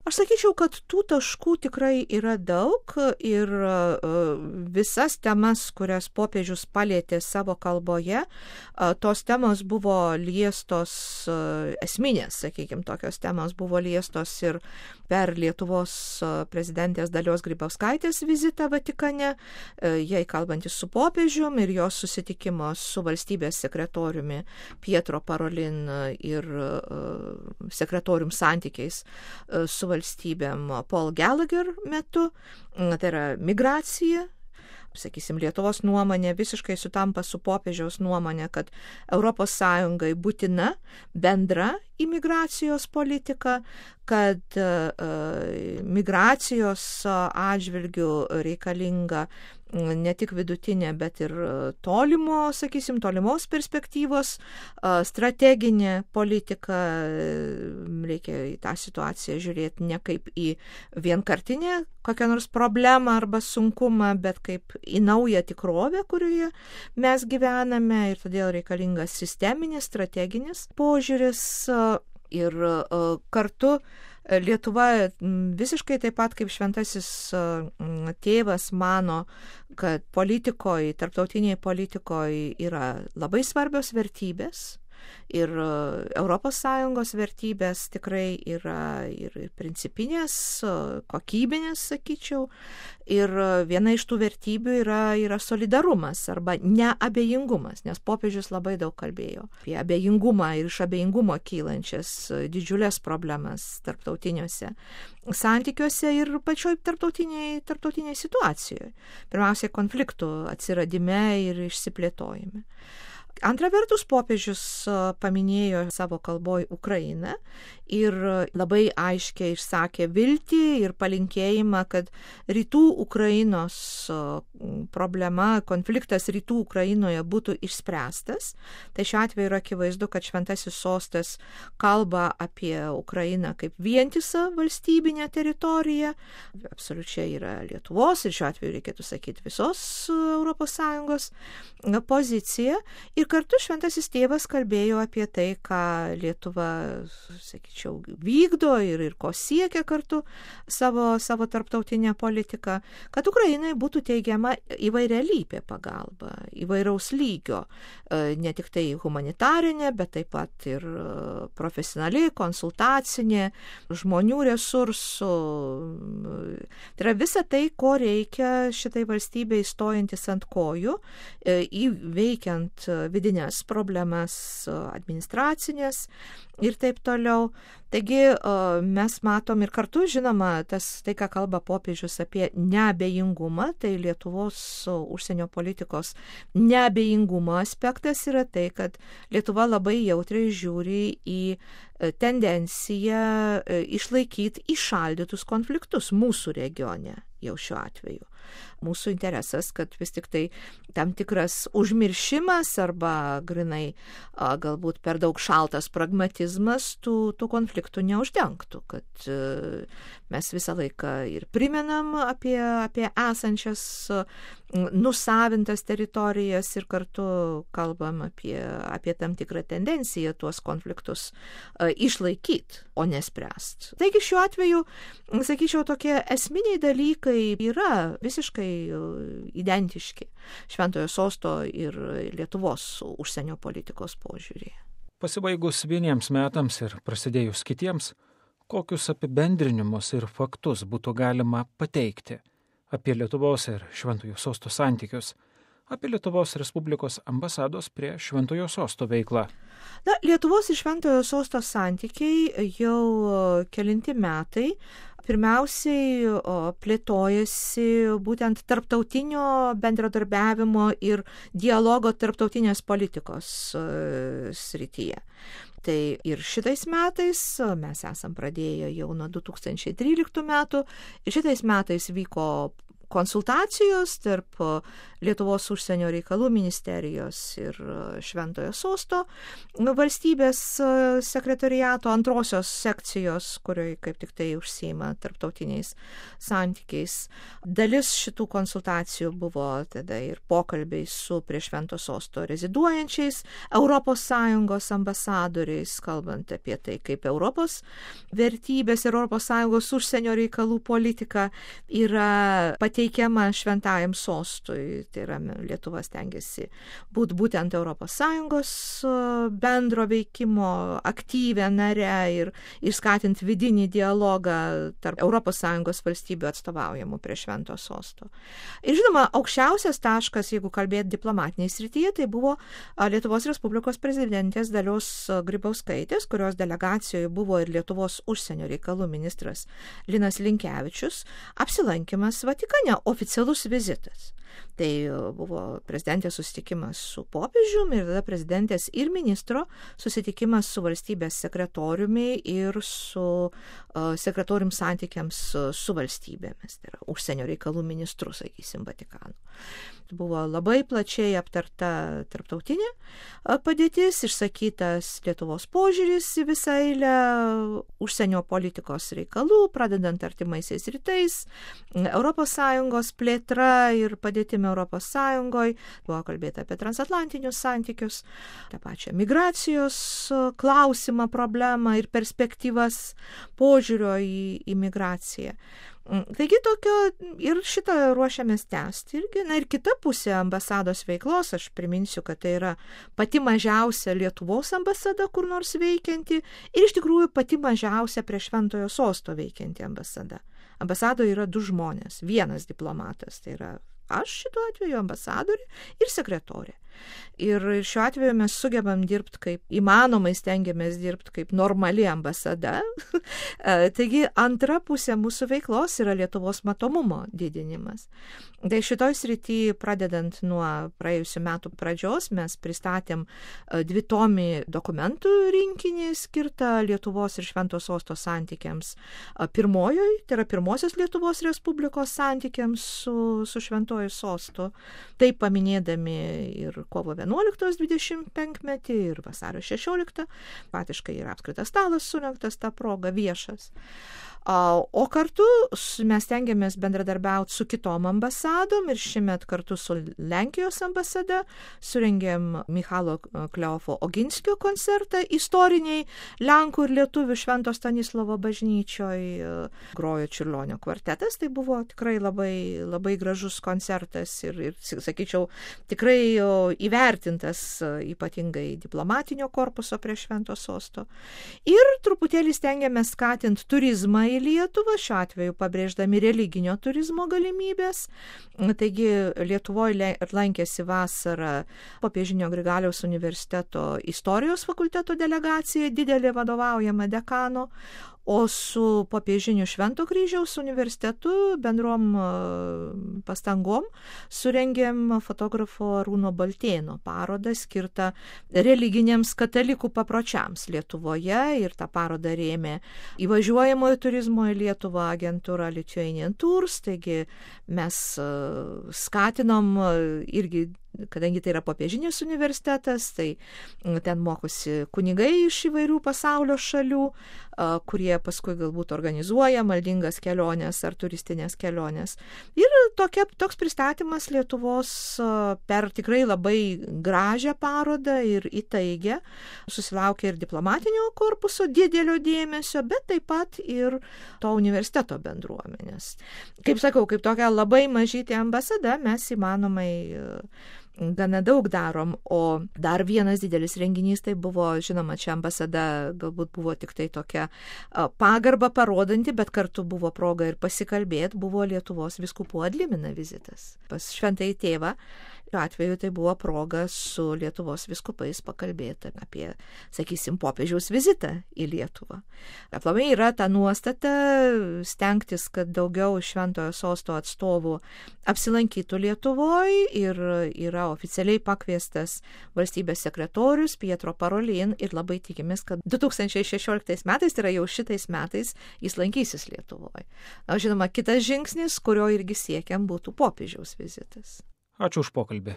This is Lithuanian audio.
Aš sakyčiau, kad tų taškų tikrai yra daug ir visas temas, kurias popiežius palėtė savo kalboje, tos temos buvo liestos, esminės, sakykime, tokios temos buvo liestos ir per Lietuvos prezidentės Dalios Grybauskaitės vizitą Vatikane, jai kalbantis su popiežium ir jos susitikimo su valstybės sekretoriumi Pietro Parolin ir sekretorium santykiais su valstybėm Paul Gallagher metu, tai yra migracija. Sakysim, Lietuvos nuomonė visiškai sutampa su popiežiaus nuomonė, kad ES būtina bendra imigracijos politika, kad migracijos atžvilgių reikalinga ne tik vidutinė, bet ir tolimos perspektyvos strateginė politika. Reikia į tą situaciją žiūrėti ne kaip į vienkartinę kokią nors problemą arba sunkumą, bet kaip į naują tikrovę, kurioje mes gyvename, ir todėl reikalingas sisteminis, strateginis požiūris. Ir kartu Lietuva visiškai taip pat kaip šventasis tėvas mano, kad politikoje, tarptautinėje politikoje yra labai svarbios vertybės. Ir ES vertybės tikrai yra ir principinės, kokybinės, sakyčiau. Ir viena iš tų vertybių yra solidarumas arba neabejingumas, nes popiežius labai daug kalbėjo apie abejingumą ir iš abejingumo kylančias didžiulės problemas tarptautiniuose santykiuose ir pačioj tarptautinėje situacijoje. Pirmiausia, konfliktų atsiradime ir išsiplėtojime. Antra vertus, popiežius paminėjo savo kalboj Ukrainą ir labai aiškiai išsakė viltį ir palinkėjimą, kad rytų Ukrainos problema, konfliktas rytų Ukrainoje būtų išspręstas. Tai šiuo atveju yra akivaizdu, kad šventasis sostas kalba apie Ukrainą kaip vientisą valstybinę teritoriją. Absoliučiai yra Lietuvos ir šiuo atveju reikėtų sakyti visos ES pozicija. Ir kartu šventasis tėvas kalbėjo apie tai, ką Lietuva, sakyčiau, vykdo ir ko siekia kartu savo tarptautinę politiką, kad Ukrainai būtų teigiama įvairialypė pagalba, įvairaus lygio, ne tik tai humanitarinė, bet taip pat ir profesionali, konsultacinė, žmonių resursų. Tai yra visa tai, ko reikia šitai valstybei stojantis ant kojų, įveikiant vidinės problemas administracinės ir taip toliau. Taigi mes matom ir kartu, žinoma, tai, ką kalba popiežius apie neabejingumą, tai Lietuvos užsienio politikos neabejingumo aspektas yra tai, kad Lietuva labai jautriai žiūri į tendenciją išlaikyti įšaldytus konfliktus mūsų regione jau šiuo atveju. Mūsų interesas, kad vis tik tai tam tikras užmiršimas arba grinai galbūt per daug šaltas pragmatizmas tų konfliktų neuždengtų, kad mes visą laiką ir primenam apie esančias nusavintas teritorijas ir kartu kalbam apie tam tikrą tendenciją tuos konfliktus išlaikyti, o nespręsti. Taigi šiuo atveju, sakyčiau, tokie esminiai dalykai yra visiškai identiški Šventojo sosto ir Lietuvos užsienio politikos požiūrį. Pasibaigus vieniems metams ir prasidėjus kitiems, kokius apibendrinimus ir faktus būtų galima pateikti apie Lietuvos ir Šventojo sosto santykius, apie Lietuvos Respublikos ambasados prie Šventojo sosto veiklą? Lietuvos ir Šventojo sosto santykiai jau kelinti metai pirmiausiai plėtojasi būtent tarptautinio bendradarbiavimo ir dialogo tarptautinės politikos srityje. Tai ir šitais metais, mes esam pradėję jau nuo 2013 metų, ir šitais metais vyko konsultacijos tarp Lietuvos užsienio reikalų ministerijos ir Šventojo sosto valstybės sekretoriato antrosios sekcijos, kurioje kaip tik tai užsiima tarptautiniais santykiais. Dalis šitų konsultacijų buvo tada ir pokalbiai su prie Švento sosto reziduojančiais ES ambasadoriais, kalbant apie tai, kaip Europos vertybės ir ES užsienio reikalų politika yra pateikiama Šventajam sostui. Tai yra Lietuva stengiasi būti būtent ES bendro veikimo aktyvę nare ir skatinti vidinį dialogą tarp ES valstybių atstovaujamų prie Švento sosto. Ir žinoma, aukščiausias taškas, jeigu kalbėti diplomatiniai srityje, tai buvo Lietuvos Respublikos prezidentės Dalios Grybauskaitės, kurios delegacijoje buvo ir Lietuvos užsienio reikalų ministras Linas Linkevičius, apsilankymas Vatikane, oficialus vizitas. Tai buvo prezidentės susitikimas su popiežiumi ir tada prezidentės ir ministro susitikimas su valstybės sekretoriumi ir su sekretorium santykiams su valstybėmis, tai yra užsienio reikalų ministru, sakysim, Vatikano. Buvo labai plačiai aptarta tarptautinė padėtis, išsakytas Lietuvos požiūris į visą eilę užsienio politikos reikalų, pradedant artimaisiais rytais, ES plėtra ir padėtimi ES, buvo kalbėta apie transatlantinius santykius, tą pačią migracijos klausimą, problemą ir perspektyvas požiūrio į migraciją. Taigi tokio ir šitą ruošiamės tęsti irgi. Na ir kita pusė ambasados veiklos, aš priminsiu, kad tai yra pati mažiausia Lietuvos ambasada kur nors veikianti ir iš tikrųjų pati mažiausia prie Šventojo sosto veikianti ambasada. Ambasadoje yra 2 žmonės, 1 diplomatas, tai yra aš šituo atveju ambasadorė ir sekretorė. Ir šiuo atveju mes sugebam dirbti kaip įmanomai, stengiamės dirbti kaip normali ambasada. Taigi antra pusė mūsų veiklos yra Lietuvos matomumo didinimas. Tai šitoj srity, pradedant nuo praėjusių metų pradžios, mes pristatėm 2-tomį dokumentų rinkinį skirtą Lietuvos ir Švento sosto santykiams pirmojoj, tai yra pirmosios Lietuvos Respublikos santykiams su Šventoju sostu. Taip paminėdami ir kovo 11 25-metį ir vasario 16, patiškai yra apskritas stalas surengtas tą progą viešas. O kartu mes tengiamės bendradarbiauti su kitom ambasadom ir šiemet kartu su Lenkijos ambasada surengėm Michalo Kleofo Oginskio koncertą istoriniai Lenkų ir Lietuvių Švento Stanislovo bažnyčioj, grojo Čiurlionio kvartetas, tai buvo tikrai labai, labai gražus koncertas ir sakyčiau, tikrai įvertintas ypatingai diplomatinio korpuso prie Švento sosto. Ir truputėlį stengiamės skatinti turizmą į Lietuvą, šiuo atveju pabrėždami religinio turizmo galimybės. Taigi Lietuvoje lankėsi vasarą Popiežinio Grigaliaus universiteto istorijos fakulteto delegacija, didelė vadovaujama dekano, o su Popiežiniu Švento Kryžiaus universitetu bendrom pastangom surengėm fotografo Arūno Baltėno parodą skirtą religiniams katalikų papročiams Lietuvoje ir tą parodą rėmė įvažiuojamojo turizmo į Lietuvą agentūra Lithuanian Tours, taigi mes skatinom irgi, kadangi tai yra Popiežinis universitetas, tai ten mokosi kunigai iš įvairių pasaulio šalių, kurie paskui galbūt organizuoja maldingas keliones ar turistinės keliones. Ir toks pristatymas Lietuvos per tikrai labai gražią parodą ir įtaigę susilaukė ir diplomatinio korpuso didelio dėmesio, bet taip pat ir to universiteto bendruomenės. Kaip sakau, kaip tokia labai mažytė ambasada, mes įmanomai gana daug darom, o dar vienas didelis renginys tai buvo, žinoma, čia ambasada galbūt buvo tik tai tokia pagarba parodanti, bet kartu buvo proga ir pasikalbėti, buvo Lietuvos vyskupų ad limina vizitas pas Šventąjį tėvą. Šiuo atveju tai buvo proga su Lietuvos vyskupais pakalbėti apie, sakysim, popiežiaus vizitą į Lietuvą. Aplamai yra ta nuostata stengtis, kad daugiau Šventojo sosto atstovų apsilankytų Lietuvoje ir yra yra oficialiai pakviestas valstybės sekretorius Pietro Parolin ir labai tikimės, kad 2016 metais, tai yra jau šitais metais, jis lankysis Lietuvoje. Na, žinoma, kitas žingsnis, kurio irgi siekiam, būtų popiežiaus vizitas. Ačiū už pokalbį.